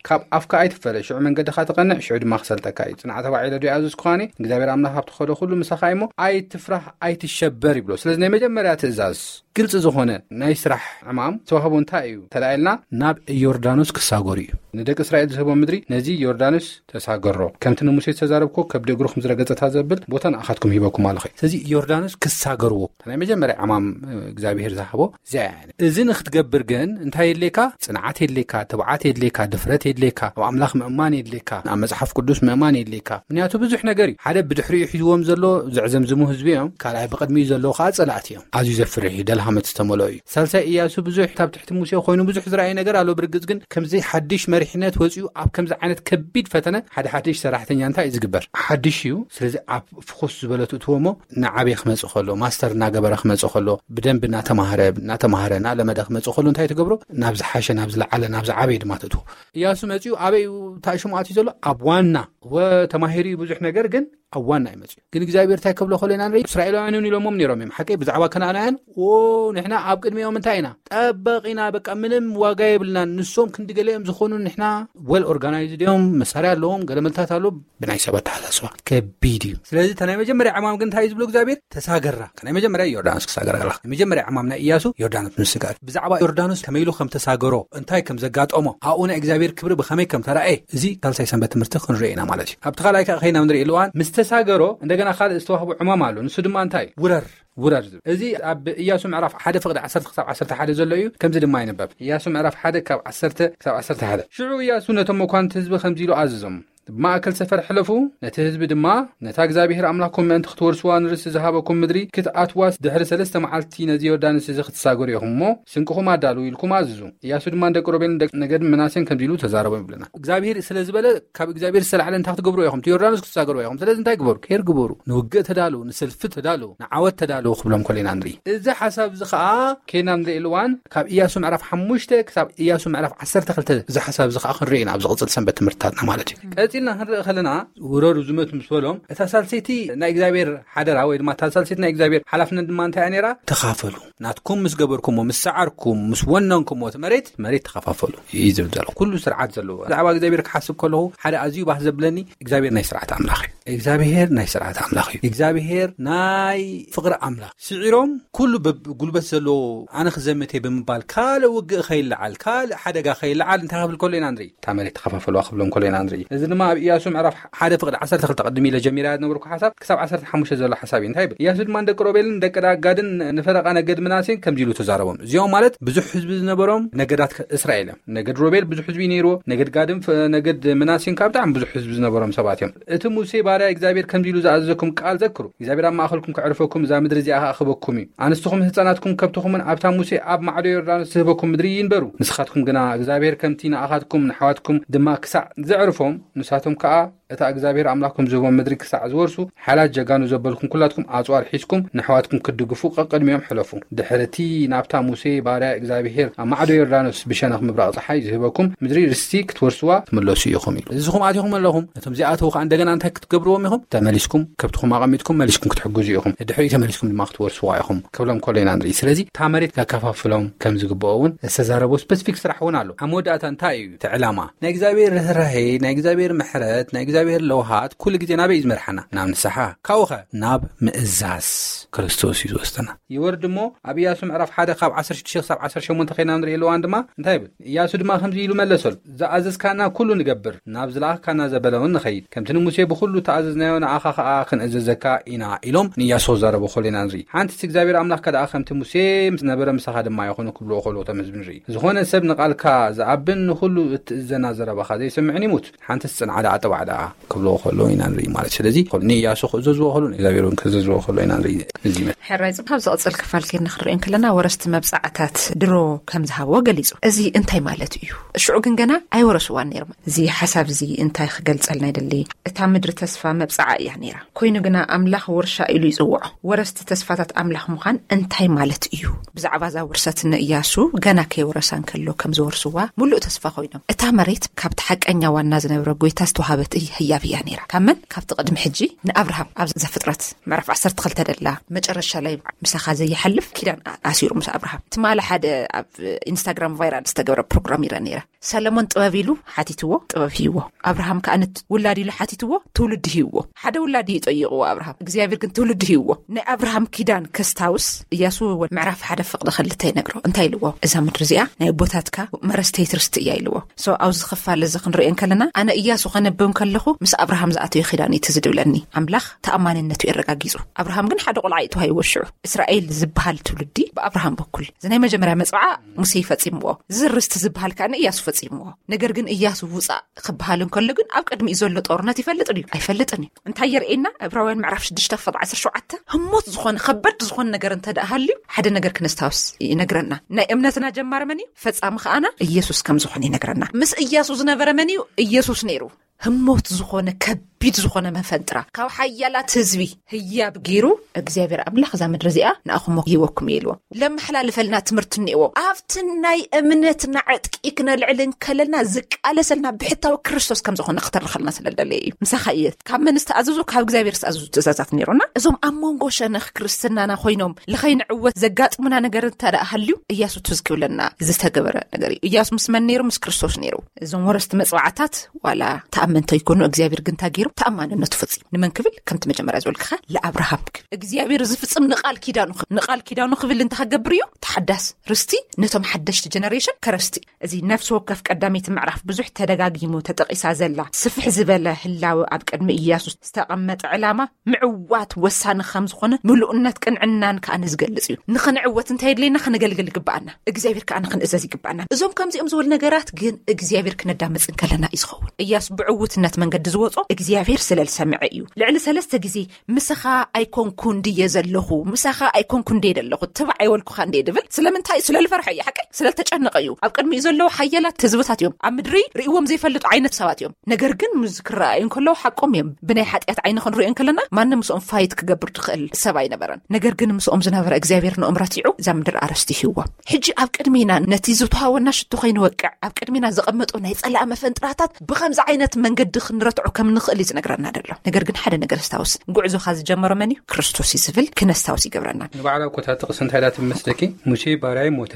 ካብ ኣፍካ ኣይትፈለ። ሽዑ መንገድኻ ትቐንዕ፣ ሽዑ ድማ ክሰልጠካ እዩ። ጽናዕ ተባዕ ኢለ ዶ ይኣዘዝኩኻኒ? እግዚኣብሔር ኣምላኽ ኣብ ትኸዶ ኩሉ ምሳኻ እዩ እሞ ኣይትፍራህ፣ ኣይትሸበር ይብሎ። ስለዚ ናይ መጀመርያ ትእዛዝ ግልጺ ዝኾነ ናይ ስራሕ ዕማም ዝተዋህቦ እንታይ እዩ? ተላኢልና ናብ ዮርዳኖስ ክሳገሩ እዩ። ንደቂ እስራኤል ዝህቦ ምድሪ ነዚ ዮርዳኖስ ተሳገሮ። ከምቲ ንሙሴ ዝተዛረብኮ ከብዲ እግርኹም ዝረገጸታ ዘብል ቦታ ንኣኻትኩም ሂበኩም ኣለኹ። ስለዚ ዮርዳኖስ ክሳገርዎ። ናይ መጀመርያ ዕማም እግዚኣብሔር ዝሃቦ እዚኣ እያ። እዚ ንክትገብር ግን እንታይ የድልየካ? ጽንዓት የድልየካ፣ ትብዓት የድልየካ፣ ድፍረት የድልየካ፣ ኣብ ኣምላኽ ምእማን የድልየካ፣ ኣብ መጽሓፍ ቅዱስ ምእማን የድልየካ። ምክንያቱ ብዙሕ ነገር እዩ። ሓደ ብድሕሪኡ ሒዝዎም ዘሎ ዘዕዘምዝሙ ህዝቢ እዮም። ካልኣይ ብቕድሚኡ ዘለዉ ከዓ ጸላእቲ እዮም። ኣዝዩ ዘፍርሕ እዩ። ደልሃመት ዝተመልኦ እዩ። ሳልሳይ እያሱ ብዙሕ ኣብ ትሕቲ ሙሴ ኮይኑ ብዙሕ ዝረኣየ ነገር ኣሎ። ብርግጽ ግን ከምዚ ሓድሽ መሪሕነት ወጺኡ ኣብ ከምዚ ዓይነት ከቢድ ፈተነ ሓደ ሓድሽ ሰራሕተኛ እንታይ እዩ ዝግበር? ሓድሽ እዩ። ስለዚ ኣብ ፍኹስ ዝበለ ትእትዎ እሞ ንዓበይ ክመጽእ ከሎ፣ ማስተር እናገበረ ክመጽእ ከሎ፣ ብደንብ እናተማህረ፣ እናተማህረ፣ እናለመደ ክመጽእ ከሎ እንታይ ትገብሮ? ናብ ዝሓሸ፣ ናብ ዝለዓለ፣ ናብ ዝዓበየ ድማ ትእትዎ። እያሱ መጺኡ ኣበይ እዩ ታሽሙ ኣትዩ ዘሎ? ኣብ ዋና። ወተማሂሩ እዩ ብዙሕ ነገር፣ ግን ኣብ ዋና እዩ መጺኡ። ግን እግዚኣብሔር እንታይ ከብሎ ከሎ ኢና ንርኢ? እስራኤላውያን እውን ኢሎሞም ነይሮም እዮም። ሓቀይ ብዛዕባ ከነኣናውያን፣ "ዎ፣ ንሕና ኣብ ቅድሚኦም እንታይ ኢና? ጠበቕ ኢና፣ በቃ ምንም ዋጋ የብልናን። ንሶም ክንዲ ገለ እዮም ዝኾኑ፣ ንሕና ወል ኦርጋናይዝድ እዮም፣ መሳርያ ኣለዎም፣ ገለ መልታት ኣሎ፣ ብናይ ሰብ ኣተሓሳስባ ከቢድ እዩ። ስለዚ እታ ናይ መጀመርያ ዕማም ግን እንታይ እዩ ዝብሎ እግዚኣብሔር? ተሳገራ። እታ ናይ መጀመርያ ዮርዳኖስ ክሳገር ኣለካ። ናይ መጀመርያ ዕማም ናይ እያሱ ዮርዳኖስ ምስጋር። ብዛዕባ ዮርዳኖስ ከመይ ኢሉ ከም ተሳገሮ፣ እንታይ ከም ዘጋጠሞ፣ ኣብኡ ናይ እግዚኣብሔር ክብሪ ብኸመይ ከም ተራእየ፣ እዚ ካልሳይ ሰንበት ትምህርቲ ክንርኢ ኢና ማለት እዩ። ኣብቲ ካልኣይ ከዓ ከይና ንርኢ ኣለዋን ምስ ተሳገሮ እንደገና ካልእ ዝተዋህቦ ዕማም ኣሎ። ንሱ ድማ እንታይ? ውረር፣ ውረር ዝብል። እዚ ኣብ እያሱ ምዕራፍ ሓደ ፍቕዲ ዓሰርተ ክሳብ ዓሰርተ ሓደ ዘሎ እዩ። ከምዚ ድማ ይንበብ። እያሱ ምዕራፍ ሓደ ካብ ዓሰርተ ክሳብ ዓሰርተ ሓደ። ሽዑ እያሱ ነቶም መኳንንቲ ህዝቢ ከምዚ ኢሉ ኣዘዞም፣ "ብማእከል ሰፈር ሕለፉ፣ ነቲ ህዝቢ ድማ፣ ነታ እግዚኣብሔር ኣምላኽኩም ምእንቲ ክትወርስዋ ንርስቲ ዝሃበኩም ምድሪ ክትኣትዋስ ድሕሪ ሰለስተ መዓልቲ ነዚ ዮርዳኖስ እዚ ክትሳገሩ ኢኹም እሞ፣ ስንቅኹም ኣዳልዉ" ኢልኩም ኣዝዙ። እያሱ ድማ ንደቂ ሮቤልን ደቂ ነገድ ምናሴን ከምዚ ኢሉ ተዛረቦም ይብለና። እግዚኣብሔር ስለ ዝበለ፣ ካብ እግዚኣብሔር ዝተላዕለ እንታይ ክትገብሩ ኢኹም? እቲ ዮርዳኖስ ክትሳገሩ ኢኹም። ስለዚ እንታይ ግበሩ? ኬር ግበሩ። ንውግእ ተዳልዉ፣ ንሰልፊ ተዳልዉ፣ ንዓወት ተዳልዉ ክብሎም ከሎ ኢና ንርኢ። እዚ ሓሳብ እዚ ኸኣ ኬና ንርኢ እዋን ካብ እያሱ ምዕራፍ ሓሙሽተ ክሳብ እያሱ ምዕራፍ ዓሰርተ ክልተ እዚ ሓሳብ እዚ ኸኣ ክንርኢ ኢና ኣብዚ ቅጽል ሰንበት ትምህርትታትና ማለት እዩ። ቀጺልና ክንርኢ ከለና ውረዱ ዝመት ምስ በሎም እታ ሳልሰይቲ ናይ እግዚኣብሔር ሓደራ ወይ ድማ እታ ሳልሰይቲ ናይ እግዚኣብሔር ሓላፍነት ድማ እንታይ እያ ነይራ? ተኻፈሉ። ናትኩም ምስ ገበርኩሞ፣ ምስ ሰዓርኩም፣ ምስ ወነንኩሞ እቲ መሬት፣ መሬት ተኸፋፈሉ እዩ ዝብል ዘሎ። ኩሉ ስርዓት ዘለዎ። ብዛዕባ እግዚኣብሔር ክሓስብ ከለኹ ሓደ ኣዝዩ ባህ ዘብለኒ እግዚኣብሔር ናይ ስርዓት ኣምላኽ እዩ። እግዚኣብሔር ናይ ስርዓት ኣምላኽ እዩ። እግዚኣብሔር ናይ ፍቕሪ ኣምላኽ። ስዒሮም ኩሉ በብ-፣ ጉልበት ዘለዎ ኣነ ክዘምት እየ ብምባል ካልእ ውግእ ከይለዓል፣ ካልእ ሓደጋ ከይለዓል እንታይ ክብል ከሎ ኢና ንርኢ? እታ መሬት ተኸፋፈሉዋ ክብሎም ከሎ ኢና ንርኢ። እዚ ድማ ኣብ ኢያሱ ምዕራፍ ሓደ ፍቕዲ ዓሰርተ ክልተ ቅድም ኢለ ጀሚራ ዝነበርኩ ሓሳብ ክሳብ ዓሰርተ ሓሙሽተ ዘሎ ሓሳብ እዩ። እንታይ ይብል? ኢያሱ ድማ ንደቂ ሮቤልን ደቂ ጋድን ንፈረቓ ነገድ ምናሴን ከምዚ ኢሉ ተዛረቦም። እዚኦም ማለት ብዙሕ ህዝቢ ዝነበሮም ነገዳት እስራኤል እዮም። ነገድ ሮቤል ብዙሕ ህዝቢ ነይርዎ። ነገድ ጋድን ፈ-፣ ነገድ ምናሴን ካብ ብጣዕሚ ብዙሕ ህዝቢ ዝነበሮም ሰባት እዮም። እቲ ሙሴ ባርያ እግዚኣብሔር ከምዚ ኢሉ ዝኣዘዘኩም ቃል ዘክሩ። እግዚኣብሔር ኣብ ማእከልኩም ከዕርፈኩም፣ እዛ ምድሪ እዚኣ ከኣ ክህበኩም እዩ። ኣንስትኹም ህጻናትኩም ከብትኹምን ኣብታ ሙሴ ኣብ ማዕዶ ዮርዳኖስ ዝህበኩም ምድሪ ይንበሩ። ንስኻትኩም ግና እግዚኣብሔር ከምቲ ንኣኻትኩም ንኣሕዋትኩም ድማ ክሳዕ ዘዕርፎም፣ ንሳቶም ከኣ እታ እግዚኣብሔር ኣምላኽኩም ዝህቦም ምድሪ ክሳዕ ዝወርሱ፣ ሓላት ጀጋኑ ዘበልኩም ኩላትኩም ኣጽዋር ሒዝኩም ንኣሕዋትኩም ክትድግፉ ቀቅድሚኦም ሕለፉ። ድሕሪ እቲ ናብታ ሙሴ ባርያ እግዚኣብሔር ኣብ ማዕዶ ዮርዳኖስ ብሸነኽ ምብራቕ ጸሓይ ዝህበኩም ምድሪ ርስቲ ክትወርስዋ ትምለሱ ኢኹም ኢሉ። ንስኹም ኣቲኹም ኣለኹም፣ ነቶም ዚኣተዉ ከኣ እንደገና እንታይ ክትገብርዎም ኢኹም? ተመሊስኩም ከብትኹም ኣቐሚጥኩም መሊስኩም ክትሕግዙ ኢኹም። ድሕሪኡ ተመሊስኩም ድማ ክትወርስዋ ኢኹም ክብሎም ከሎ ኢና ንርኢ። ስለዚ እታ መሬት ከከፋፍሎም ከም ዝግብኦ እውን ዝተዛረቦ ስፐሲፊክ ስራሕ እውን ኣሎ። ኣብ መወዳእታ እንታይ እዩ እቲ ዕላማ? ናይ እግዚኣብሔር ርህራሄ፣ ናይ እግዚኣብሔር ምሕረት፣ ናይ እግዚኣብሔር ለውሃት ኩሉ ግዜ ናበይ እዩ ዝመርሓና? ናብ ንስሓ። ካብኡኸ ናብ ምእዛዝ። ክርስቶስ እዩ ዝወስደና። ይወርድ እሞ ኣብ ኢያሱ ምዕራፍ ሓደ ካብ ዓሰርተ ሽዱሽተ ክሳብ ዓሰርተ ሸሞንተ ኸይና ንርኢ ኣለዋን ድማ እንታይ ይብል? ኢያሱ ድማ ከምዚ ኢሉ መለሰሉ፣ "ዝኣዘዝካና ኩሉ ንገብር፣ ናብ ዝለኣኽካና ዘበለ እውን ንኸይድ፣ ከምቲ ንሙሴ ብኹሉ ተኣዘዝናዮ ንኣኻ ኸኣ ክንእዘዘካ ኢና" ኢሎም ንኢያሱ ክዛረቡ ከሎ ኢና ንርኢ። ሓንትስ እግዚኣብሔር ኣምላኽካ ደኣ ከምቲ ሙሴ ምስ ነበረ ምሳኻ ድማ ይኹን ክብልዎ ከሎ እቶም ህዝቢ ንርኢ። ዝኾነ ሰብ ንቓልካ ዝኣብን ንኹሉ እትእዘና ዘረባኻ ዘይሰምዕን ይሙት፣ ሓንትስ ጽንዓ ደኣ ጥባዕ ደኣ ክብልዎ ከሎ ኢና ንርኢ ማለት። ስለዚ ንኢያሱ ክእዘዝዎ ከሎ ንእግዚኣብሔር እውን ክእዘዝዎ ከሎ ኢና ንርኢ። እዚ ይመስል። ሕራይ ጽቡቅ። ኣብ ዝቕጽል ክፋል ኬድና ክንሪኦ እንከለና ወረስቲ መብጻዕታት ድሮ ከም ዝሃብዎ ገሊጹ። እዚ እንታይ ማለት እዩ? ሽዑ ግን ገና ኣይወረስዋን ነይሮም። እዚ ሓሳብ እዚ እንታይ ክገልጸልና ይደሊ? እታ ምድሪ ተስፋ መብጻዓ እያ ነይራ። ኮይኑ ግና ኣምላኽ ውርሻ ኢሉ ይጽውዖ። ወረስቲ ተስፋታት ኣምላኽ ምዃን እንታይ ማለት እዩ? ብዛዕባ እዛ ውርሰት ንእያሱ ገና ከይወረሳ እንከሎ ከም ዝወርስዋ ምሉእ ተስፋ ኮይኖም። እታ መሬት ካብቲ ሓቀኛ ዋና ዝነበረ ጎይታ ዝተዋሃበት እይ-፣ ህያብ እያ ነይራ። ካብ መን? ካብቲ ቅድሚ ሕጂ ንኣብርሃም ኣብ ዘፍጥረት ምዕራፍ ዓሰርተ ክልተ ደላ መጨረሻ ላይ ምሳኻ ዘይሓልፍ ኪዳን ኣ-፣ ኣሲሩ ምስ ኣብርሃም። ትማሊ ሓደ ኣብ ኢንስታግራም ቫይራል ዝተገብረ ፕሮግራም ይረአ ነይረ። ሰለሞን ጥበብ ኢሉ ሓቲትዎ፣ ጥበብ ሂዎ። ኣብርሃም ከኣ ነት-፣ ውላድ ኢሉ ሓቲትዎ፣ ትውልዲ ሂዎ። ሓደ ውላድ እዩ ጠይቕዎ ኣብርሃም፣ እግዚኣብሔር ግን ትውልዲ ሂዎ። ናይ ኣብርሃም ኪዳን ከስታውስ እያሱ ወ-፣ ምዕራፍ ሓደ ፍቕዲ ክልተ ይነግሮ። እንታይ ኢልዎ? እዛ ምድሪ እዚኣ ናይ ኣቦታትካ መረስተይት ርስቲ እያ ኢልዎ። So ኣብዚ ክፋል እዚ ክንሪኦ እንከለና፣ ኣነ እያሱ ከነብብ ከለኹ ምስ ኣብርሃም ዝኣተዮ ኪዳን እዩ ትዝ ድብለኒ። ኣምላኽ ተኣማንነቱ የረጋጊጹ። ኣብርሃም ግን ሓደ ቆልዓ እዩ ተዋሂብዎ ሽዑ። እስራኤል ዝበሃል ትውልዲ ብኣብርሃም በኩል። እዚ ናይ መጀመርያ መጽውዓ ሙሴ ፈጺምዎ። እዚ ርስቲ ዝበሃል ከኣ ንእያሱ ፈጺምዎ። ነገር ግን እያሱ ውጻእ ክበሃል እንከሎ ግን ኣብ ቅድሚኡ ዘሎ ጦርነት ይፈልጥ ድዩ? ኣይፈልጥን እዩ። እንታይ የርእየና? ዕብራውያን ምዕራፍ ሽዱሽተ ፍቕዲ ዓሰርተ ሸውዓተ፣ ህሞት ዝኾነ፣ ከበድ ዝኾነ ነገር እንተ ደኣ ሃልዩ፣ ሓደ ነገር ክነስታውስ ይነግረና። ናይ እምነትና ጀማሪ መን እዩ? ፈጻሚ ከኣና ኢየሱስ ከም ዝኾነ ይነግረና። ምስ እያሱ ዝነበረ መን እዩ? ኢየሱስ ነይሩ። ህሞት ዝኾነ፣ ከቢድ ዝኾነ መፈንጥራ፣ ካብ ሓያላት ህዝቢ ህያብ ገይሩ፣ እግዚኣብሔር ኣምላኽ እዛ ምድሪ እዚኣ ንኣኹም ሂበኩም እየ ኢልዎም። ለመሓላልፈልና ትምህርቲ እኒእዎ። ኣብቲ ናይ እምነትና ዕጥቂ ክነልዕል እንከለና ዝቃለሰልና ብሕታዊ ክርስቶስ ከም ዝኾነ ክተርኸልና ስለ ዝደለየ እዩ። ምሳኻ እየ። ካብ መን ዝተኣዘዙ? ካብ እግዚኣብሔር ዝተኣዘዙ ትእዛዛት ነይሮና። እዞም ኣብ መንጎ ሸነኽ ክርስትናና ኮይኖም ልኸይንዕወት ዘጋጥሙና ነገር እንተ ደኣ ሃልዩ፣ እያሱ ትዝ ክብለና ዝተገበረ ነገር እዩ። እያሱ ምስ መን ነይሩ? ምስ ክርስቶስ ነይሩ። እዞም ወረስቲ መጽዋዕታት ዋላ ተኣመንቶ ይኮኑ፣ እግዚኣብሔር ግን እንታይ ገይሩ? ተኣማንነቱ ፈጺሙ። ንመን ክብል? ከምቲ መጀመርያ ዝበልክኻ፣ ለኣብርሃም ክብል። እግዚኣብሔር ዝፍጽም ንቓል ኪዳኑ ክብል፣ ንቓል ኪዳኑ ክብል እንታይ ክገብር እዩ? ተሓዳስ ርስቲ ነቶም ሓደሽቲ ጀነሬሽን ከረስቲ። እዚ ነፍሲ ወከፍ ቀዳመይቲ ምዕራፍ ብዙሕ ተደጋጊሙ ተጠቒሳ ዘላ ስፍሕ ዝበለ ህላወ ኣብ ቅድሚ ኢያሱ ዝተቐመጠ ዕላማ ምዕዋት ወሳኒ ከም ዝኾነ ምሉእነት ቅንዕናን ከኣ ንዝገልጽ እዩ። ንኽንዕወት እንታይ የድልየና? ክነገልግል ይግብኣና። እግዚኣብሔር ከኣ ንኽንእዘዝ ይግብኣና። እዞም ከምዚኦም ዝበሉ ነገራት ግን እግዚኣብሔር ክነዳምጽ እንከለና እዩ ዝኸውን። ኢያሱ ብዕውትነት መንገዲ ዝወጾ እግዚኣብሔር ስለ ዝሰምዐ እዩ። ልዕሊ ሰለስተ ግዜ "ምሳኻ ኣይኮንኩን ድየ ዘለኹ? ምሳኻ ኣይኮንኩን ድየ ዘለኹ? ትባዕ ኣይወልኩኻ እንድየ" ድብል። ስለምንታይ? ስለ ዝፈርሐ እዩ። ሓቀይ? ስለ ዝተጨነቐ እዩ። ኣብ ቅድሚኡ ዘለዉ ሓያላት ህዝብታት እዮም። ኣብ ምድሪ ርእይዎም ዘይፈልጡ ዓይነት ሰባት እዮም። ነገር ግን ምስ ክረኣዩ እንከለዉ ሓቆም እዮም። ብናይ ሓጢኣት ዓይኒ ክንሪኦ እንከለና ማንም ምስኦም ፋይት ክገብር ዝኽእል ሰብ ኣይነበረን። ነገር ግን ምስኦም ዝነበረ እግዚኣብሔር ንኦም ረቲዑ እዛ ምድር ኣረስቲ ሂዎም። ሕጂ ኣብ ቅድሚና ነቲ ዝተዋወና ሽቶ ከይንወቅዕ ኣብ ቅድሚና ዘቐመጦ ናይ ጸላእ መፈንጥራታት ብኸምዚ ዓይነት መንገዲ ክንረትዖ ከም ንኽእል እዩ ዝነግረና ዘሎ። ነገር ግን ሓደ ነገር ኣስታውስ፣ ጉዕዞኻ ዝጀመረ መን እዩ? ክርስቶስ እዩ ዝብል ክነስታውስ ይገብረና። ንባዕላ እኮ እታ ጥቕሲ እንታይ ኢላ ትመስለኪ? "ሙሴ ባርያይ ሞተ፣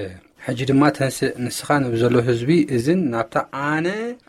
ሕጂ ድማ ተንስእ፣ ንስኻ ነብዘሎ ህዝቢ እዝን ናብታ ኣነ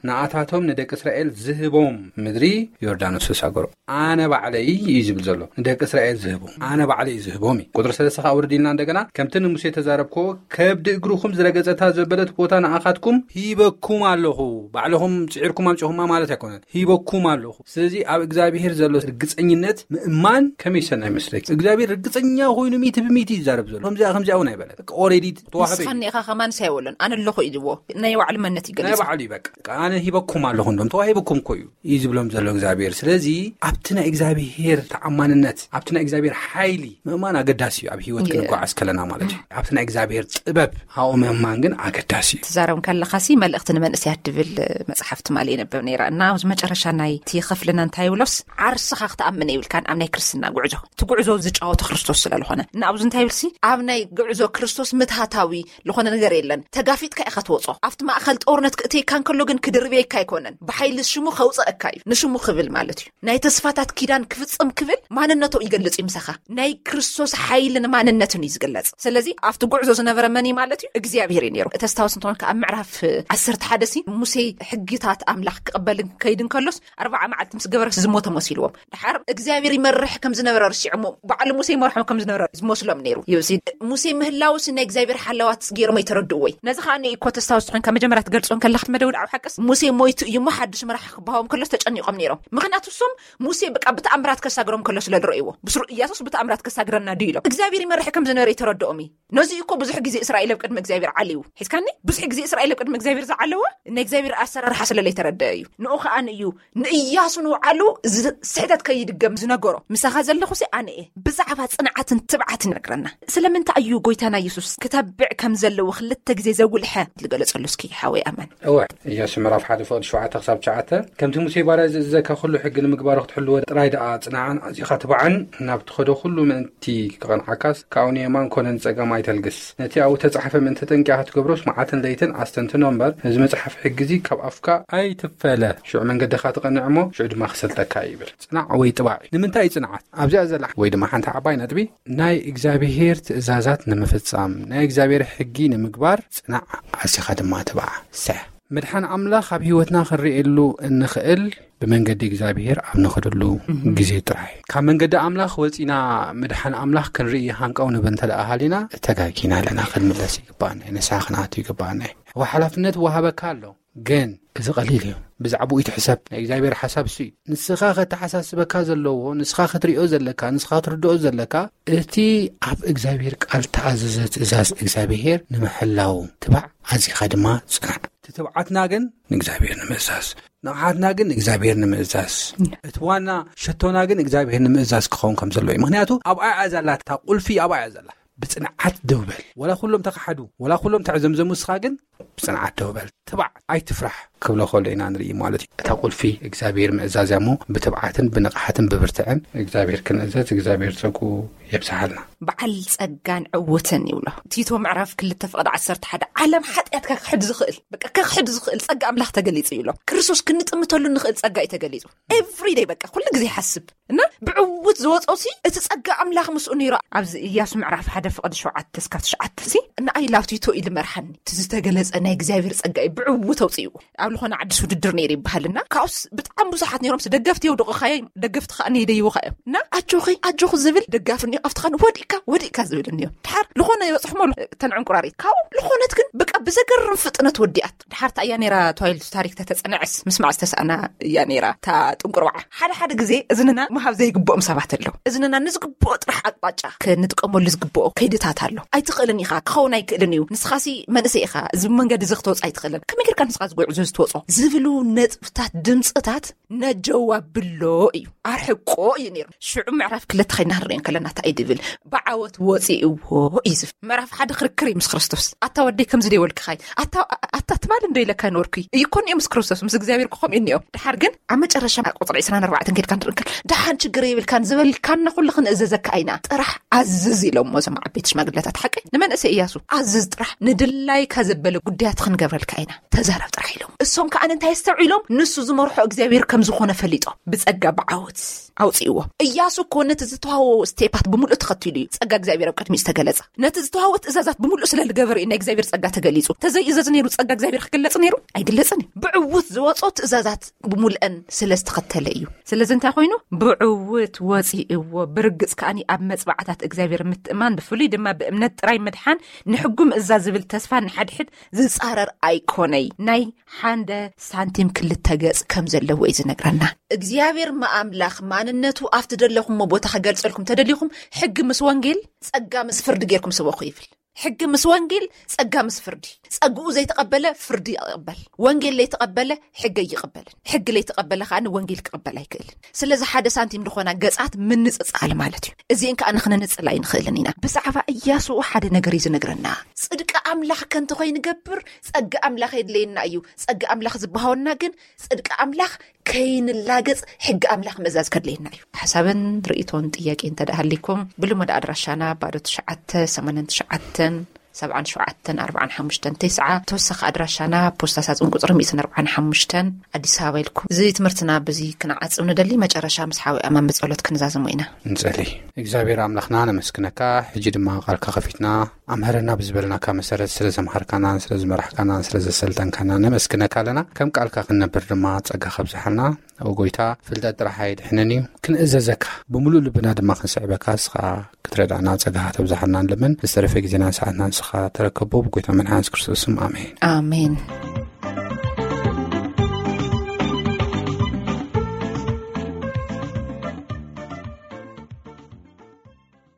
ንኣታቶም ንደቂ እስራኤል ዝህቦም ምድሪ ዮርዳኖስ ተሳገሮ።" ኣነ ባዕለይ እዩ ዝብል ዘሎ፣ ንደቂ እስራኤል ዝህቦም፣ ኣነ ባዕለይ እዩ ዝህቦም እዩ። ቁጥሪ ሰለስተ ከዓ ውርድ ኢልና እንደገና፣ "ከምቲ ንሙሴ ተዛረብኮ፣ ከብዲ እግርኹም ዝረገጸታ ዘበለት ቦታ ንኣኻትኩም ሂበኩም ኣለኹ።" ባዕልኹም ጽዒርኩም ኣምጺኹማ ማለት ኣይኮነን፣ ሂበኩም ኣለኹ። ስለዚ ኣብ እግዚኣብሔር ዘሎ ርግጸኝነት ምእማን ከመይ ሰናይ ይመስለኪ? እግዚኣብሔር ርግጸኛ ኮይኑ ሚእቲ ብሚእቲ ይዛረብ ዘሎ። ከምዚኣ፣ ከምዚኣ እውን ኣይበለት። በቃ ኦሬዲ ተዋህበ እዩ። ንስኻ እኒኻ ከማንስ ኣይበሎን፣ ኣነ ኣለኹ እዩ ዝብዎ። ናይ ባዕሉ መንነት እዩ ናይ ገሊጹ። ባዕሉ እዩ በቃ። ኣነ ሂበኩም ኣለኹ፣ እንዶም ተዋሂብኩም እኮ እዩ፣ እዩ ዝብሎም ዘሎ እግዚኣብሔር። ስለዚ ኣብቲ ናይ እግዚኣብሔር ተኣማንነት፣ ኣብቲ ናይ እግዚኣብሔር ሓይሊ ምእማን ኣገዳሲ እዩ፣ ኣብ ህይወት የ- ክንጓዓዝ ከለና ማለት እዩ። ኣብቲ ናይ እግዚኣብሔር ጥበብ ሃኡ ምእማን ግን ኣገዳሲ እዩ። ትዛረብ ከለኻሲ መልእኽቲ ንመንእሰያት ድብል መጽሓፍ ትማሊ የንብብ ነይራ። እና ኣብዚ መጨረሻ ናይቲ ክፍልና እንታይ ይብሎስ፣ ዓርስኻ ክትኣምን የብልካን ኣብ ናይ ክርስትና ጉዕዞ። እቲ ጉዕዞ ዝጫወቶ ክርስቶስ ስለ ዝኾነ። እና ኣብዚ እንታይ ይብልሲ፣ ኣብ ናይ ጉዕዞ ክርስቶስ ምትሃታዊ ዝኾነ ነገር የለን። ተጋፊጥካ ኢኻ ትወጾ። ኣብቲ ማእኸል ጦርነት ክእትየካ እንከሎ ግን ክድርብየካ ኣይኮነን። ብሓይሊ ሽሙ ከውፀእካ እዩ። ንሽሙ ክብል ማለት እዩ። ናይ ተስፋታት ኪዳን ክፍጽም ክብል ማንነቱ ይገልጽ እዩ ምሳኻ። ናይ ክርስቶስ ሓይልን ማንነትን እዩ ዝግለጽ። ስለዚ ኣብቲ ጉዕዞ ዝነበረ መን እዩ ማለት እዩ? እግዚኣብሔር እዩ ነይሩ። ተስታውስ እንተኾንካ ኣብ ምዕራፍ ዓሰርተ ሓደ ሲ ሙሴ ሕግታት ኣምላኽ ክቕበል ከይድ እንከሎስ ኣርባዓ መዓልቲ ምስ ገበረ ዝሞተ መሲልዎም። ድሓር እግዚኣብሔር ይመርሕ ከም ዝነበረ ርሲዖሞ፣ ባዕሉ ሙሴ ይመርሖም ከም ዝነበረ ዝመስሎም ነይሩ። ይብሲ ሙሴ ምህላውስ ናይ እግዚኣብሔር ሓለዋት ገይሮም ኣይተረድእዎይ። ነዚ ከዓ ንእኮ ተስታውስ ትኾንካ መጀመርያ ትገልጾ እንከለኻ መደውድ ኣብ ሓቅስ ሙሴ ሞይቱ እዩ እሞ ሓድሽ መራሕ ክበሃዎም ከሎስ ተጨኒቖም ነይሮም። ምኽንያቱ እሶም ሙሴ በቃ ብተኣምራት ከሳግሮም ከሎ ስለ ዝረእይዎ፣ ብስሩ ኢያሱስ ብተኣምራት ከሳግረና ድዩ ኢሎም እግዚኣብሔር ይመርሕ ከም ዝነበረ ይተረድኦም እዩ። ነዚ እኮ ብዙሕ ግዜ እስራኤል ኣብ ቅድሚ እግዚኣብሔር ዓልዩ ሒዝካኒ። ብዙሕ ግዜ እስራኤል ኣብ ቅድሚ እግዚኣብሔር ዝዓለወ ናይ እግዚኣብሔር ኣሰራርሓ ስለ ለይተረደአ እዩ። ንኡ ከዓ እዩ ንእያሱ ንውዓሉ እዚ ስሕተት ከይድገም ዝነገሮ። ምሳኻ ዘለኹ ሲ ኣነ እየ። ብዛዕባ ጽንዓትን ትብዓትን ይነግረና። ስለምንታይ እዩ ጎይታና የሱስ ክተብዕ ከም ዘለዎ ክልተ ግዜ ዘጉልሐ ዝገለጸሉ እስኪ ሓወይ ኣማን? እወ፣ ኢያሱ ምዕራፍ ሓደ ፍቕዲ ሸውዓተ ክሳብ ትሽዓተ፣ ከምቲ ሙሴ ባርያ ዝእዘካ ኩሉ ሕጊ ንምግባሩ ክትሕልዎ ጥራይ ደኣ ጽንዓን ኣዚኻ ትብዓን፣ ናብ ትኸዶ ኩሉ ምእንቲ ክቐንዓካስ ካብኡ ንየማን ኮነ ንጸጋም ኣይተልግስ። ነቲ ኣብኡ ተጻሕፈ ምእንቲ ተጠንቂኻ ክትገብሮስ መዓልትን ለይትን ኣስተንትኖ እምበር፣ ነዚ መጽሓፍ ሕጊ እዚ ካብ ኣፍካ ኣይትፈለ። ሽዑ መንገድኻ ትቐንዕ እሞ፣ ሽዑ ድማ ክሰልጠካ ይብል። ጽናዕ ወይ ጥባዕ እዩ። ንምንታይ እዩ ጽንዓት ኣብዚኣ ዘላ? ወይ ድማ ሓንቲ ዓባይ ነጥቢ፣ ናይ እግዚኣብሄር ትእዛዛት ንምፍጻም፣ ናይ እግዚኣብሄር ሕጊ ንምግባር ጽናዕ፣ ኣዚኻ ድማ ትብዓ። ሰሕ። ምድሓን ኣምላኽ ኣብ ህይወትና ክንርእየሉ እንኽእል ብመንገዲ እግዚኣብሄር ኣብ ንኸደሉ ግዜ ጥራይ። ካብ መንገዲ ኣምላኽ ወጺና ምድሓን ኣምላኽ ክንርኢ ሃንቀው ንብል እንተ ደኣ ሃሊና፣ ተጋጊና ኣለና። ክንምለስ ይግባኣና እዩ። ንስሓ ክንኣቱ ይግባኣና እዩ። እወ፣ ሓላፍነት ወሃበካ ኣሎ። ግን እዚ ቀሊል እዩ። ብዛዕባኡ ይትሕሰብ። ናይ እግዚኣብሔር ሓሳብ እሱ እዩ። ንስኻ ከተሓሳስበካ ዘለዎ፣ ንስኻ ክትሪኦ ዘለካ፣ ንስኻ ክትርድኦ ዘለካ፣ እቲ ኣብ እግዚኣብሔር ቃል ተኣዘዘ ትእዛዝ እግዚኣብሔር ንምሕላው ትባዕ፣ ኣዚኻ ድማ ጽናዕ። እቲ ትብዓትና ግን ንእግዚኣብሔር ንምእዛዝ፣ ንቕሓትና ግን ንእግዚኣብሔር ንምእዛዝ፣ እቲ ዋና ሸቶና ግን እግዚኣብሔር ንምእዛዝ ክኸውን ከም ዘለዎ እዩ። ምኽንያቱ ኣብኣ እያ ዘላ፣ እታ ቁልፊ ኣብኣ እያ ዘላ። ብጽንዓት ደው በል። ወላ ኩሎም ተኻሓዱ፣ ወላ ኩሎም ተዕዘምዘሙ፣ እስኻ ግን ብጽንዓት ደው በል። ትባዕ፣ ኣይትፍራሕ ክብሎ ከሎ ኢና ንርኢ ማለት እዩ። እታ ቁልፊ እግዚኣብሔር ምእዛዝ እያ እሞ፣ ብትብዓትን ብንቕሓትን ብብርትዕን እግዚኣብሔር ክንእዘዝ እግዚኣብሔር ጸጉ የብዝሓልና። በዓል ጸጋን ዕውትን ይብሎ። ቲቶ ምዕራፍ ክልተ ፍቕዲ ዓሰርተ ሓደ፣ ዓለም ሓጢኣትካ ክሕድ ዝኽእል፣ በቃ፣ ክሕድ ዝኽእል ጸጋ ኣምላኽ ተገሊጹ ይብሎ። ክርስቶስ ክንጥምተሉ ንኽእል ጸጋ እዩ ተገሊጹ። ኤቭሪደይ፣ በቃ፣ ኩሉ ግዜ ይሓስብ። እና ብዕውት ዝወጾ ሲ እቲ ጸጋ ኣምላኽ ምስኡ ነይሩ። ኣብዚ ኢያሱ ምዕራፍ ሓደ ፍቕዲ ሸውዓተ እስካብ ትሽዓተ ሲ፣ ንኣይ ላብ ቲቶ ኢሉ መርሓኒ። እቲ ዝተገለጸ ናይ እግዚኣብሔር ጸጋ እዩ ብዕውት ኣውጺእዎ። ኣብ ዝኾነ ዓድስ ውድድር ነይሩ ይበሃል። እና ካብኡስ ብጣዕሚ ብዙሓት ነይሮም። ደገፍቲ የውድቑኻ እዮም፣ ደገፍቲ ከኣ ነይደይውኻ እዮም። እና ኣጆኺ፣ ኣጆኺ ዝብል ደጋፊ እኒኦ፣ ኣብቲ ኻን ወዲቕካ፣ ወዲቕካ ዝብል እኒኦ። ድሓር ዝኾነ ይበጽሕሞ ኣሎ፣ እተን ዕንቁራሪት። ካብኡ ዝኾነት ግን በቃ ብዘገርም ፍጥነት ወዲኣት። ድሓር እታ እያ ነይራ ተባሂሉ ታሪክ ተተጸንዐስ ምስማዕ ዝተሳእና እያ ነይራ እታ ጥንቁርባዓ። ሓደ ሓደ ግዜ እዝንና ምሃብ ዘይግብኦም ሰባት ኣለዉ። እዝንና ንዝግብኦ ጥራሕ ኣቅጣጫ ክንጥቀመሉ ዝግብኦ ከይድታት ኣሎ። ኣይትኽእልን ኢኻ፣ ክኸውን ኣይክእልን እዩ፣ ንስኻሲ መንእሰይ ኢኻ፣ እዚ መንገዲ እዚ ክትወጽእ ኣይትኽእልን፣ ከመይ ጌርካ ንስኻ ዝጉዕዞ እዚ ትወጾ ዝብሉ ነጥብታት፣ ድምፅታት ነጀው ኣብሎ እዩ፣ ኣርሕቆ እዩ ነይሩ። ሽዑ ምዕራፍ ክልተ ኸይድና ክንሪኦ እንከለና እንታይ እዩ ዝብል? ብዓወት ወፂእዎ እዩ ዝብል። ምዕራፍ ሓደ ክርክር እዩ ምስ ክርስቶስ። ኣታ ወደይ ከምዚ ዶ ይበልክኻ እዩ? ኣታ፣ ኣታ ትማሊ እንዶ ኢለካ ነበርኩ እዩ እኮ እኒኦ ምስ ክርስቶስ፣ ምስ እግዚኣብሔር እኮ ከምኡ እዩ እኒኦ። ድሓር ግን ኣብ መጨረሻ ኣብ ቁፅሪ ዕስራን ኣርባዕተን ከይድካ ንርኢ እንከል፣ ደሓን ችግር የብልካን ዝበልካና ኩሉ ክንእዘዘካ ኢና፣ ጥራሕ ኣዝዝ ኢሎሞ እዞም ዓበይቲ ሽማግለታት። ሓቂ ንመንእሰይ እያሱ ኣዝዝ ጥራሕ፣ ንድላይካ ዘበለ ጉዳያት ክንገብረልካ ኢና፣ ተዛረብ ጥራሕ ኢሎም። እሶም ከኣ እንታይ ኣስተውዒሎም? ንሱ ዝመርሖ እግዚኣብሔር ከም ዝኾነ ፈሊጦም ብጸጋ ብዓወት ኣውጽእዎ። እያሱ እኮ ነቲ ዝተዋህቦ ስቴፓት ብምሉእ ተኸቲሉ እዩ ጸጋ እግዚኣብሔር ኣብ ቅድሚኡ ዝተገለጸ። ነቲ ዝተዋህቦ ትእዛዛት ብምሉእ ስለ ዝገበረ እዩ ናይ እግዚኣብሔር ጸጋ ተገሊጹ። ተዘይእዘዝ ነይሩ ጸጋ እግዚኣብሔር ክግለጽ ነይሩ? ኣይግለጽን እዩ። ብዕውት ዝወጾ ትእዛዛት ብምሉአን ስለ ዝተኸተለ እዩ። ስለዚ እንታይ ኮይኑ? ብዕውት ወጺእዎ፣ ብርግጽ ከኣኒ ኣብ መጽባዕታት እግዚኣብሔር ምትእማን፣ ብፍሉይ ድማ ብእምነት ጥራይ ምድሓን፣ ንሕጉ ምእዛዝ ዝብል ተስፋ ንሓድሕድ ዝጻረር ኣይኮነይ። ናይ ሓንደ ሳንቲም ክልተ ገጽ ከም ዘለዎ እዩ ዝነግረና። እግዚኣብሔር ምኣምላኽ ማንነቱ ኣብቲ ደለኹሞ ቦታ ከገልጸልኩም ተደሊኹም፣ ሕጊ ምስ ወንጌል፣ ጸጋ ምስ ፍርዲ ጌርኩም ስበኹ ይብል። ሕጊ ምስ ወንጌል፣ ጸጋ ምስ ፍርዲ። ጸግኡ ዘይተቐበለ ፍርዲ ይቐበል። ወንጌል ለይተቐበለ ሕጊ ኣይቕበልን። ሕጊ ለይተቐበለ ከኣ ወንጌል ክቕበል ኣይክእልን። ስለዚ ሓደ ሳንቲም ዝኾና ገጻት ምንጽጻል ማለት እዩ። እዚእን ከኣ ንኽንንጽል ኣይንኽእልን ኢና። ብዛዕባ እያሱ ሓደ ነገር እዩ ዝነግረና። ጽድቂ ኣምላኽ ከንተ ኾይንገብር፣ ጸጋ ኣምላኽ የድለየና እዩ። ጸጋ ኣምላኽ ዝበሃወና ግን ጽድቂ ኣምላኽ ከይንላገጽ ሕጊ ኣምላኽ ምእዛዝ ከድልየና እዩ። ሓሳብን ርእይቶን ጥያቄ እንተ ደኣ ሃሊኩም፣ ብልሙድ ኣድራሻና ባዶ ትሽዓተ ሰማንያን ትሽዓተን ሰብዓን ሸውዓተን ኣርባዓን ሓሙሽተን ተስዓ። ተወሳኺ ኣድራሻና ፖስታ ሳጹን ቁጽሪ ሚእትን ኣርባዓን ሓሙሽተን፣ ኣዲስ ኣበባ ኢልኩም። እዚ ትምህርትና በዚ ክንዓጽም ንደሊ፣ መጨረሻ ምስ ሓዊ ኣማን ብጸሎት ክንዛዘሞ ኢና። ንጸሊ። እግዚኣብሔር ኣምላኽና ነመስግነካ። ሕጂ ድማ ቃልካ ከፊትና ኣምሃረና ብዝበልናካ መሰረት ስለ ዘምሃርካናን ስለ ዝመራሕካናን ስለ ዘሰልጠንካና ነመስግነካ ኣለና። ከም ቃልካ ክንነብር ድማ ጸጋ ከብዝሓልና። ኦ ጎይታ፣ ፍልጠት ጥራሕ ኣይድሕንን እዩ፣ ክንእዘዘካ ብምሉእ ልብና ድማ ክንስዕበካ ንስኻ ክትረዳእና ጸጋ ከተብዝሓልና ንልምን። ዝተረፈ ግዜናን ሰዓትና ንስኻ ተረከቦ፣ ብጎይታ መድሓን የሱስ ክርስቶስ ስም፣ ኣሜን። ኣሜን።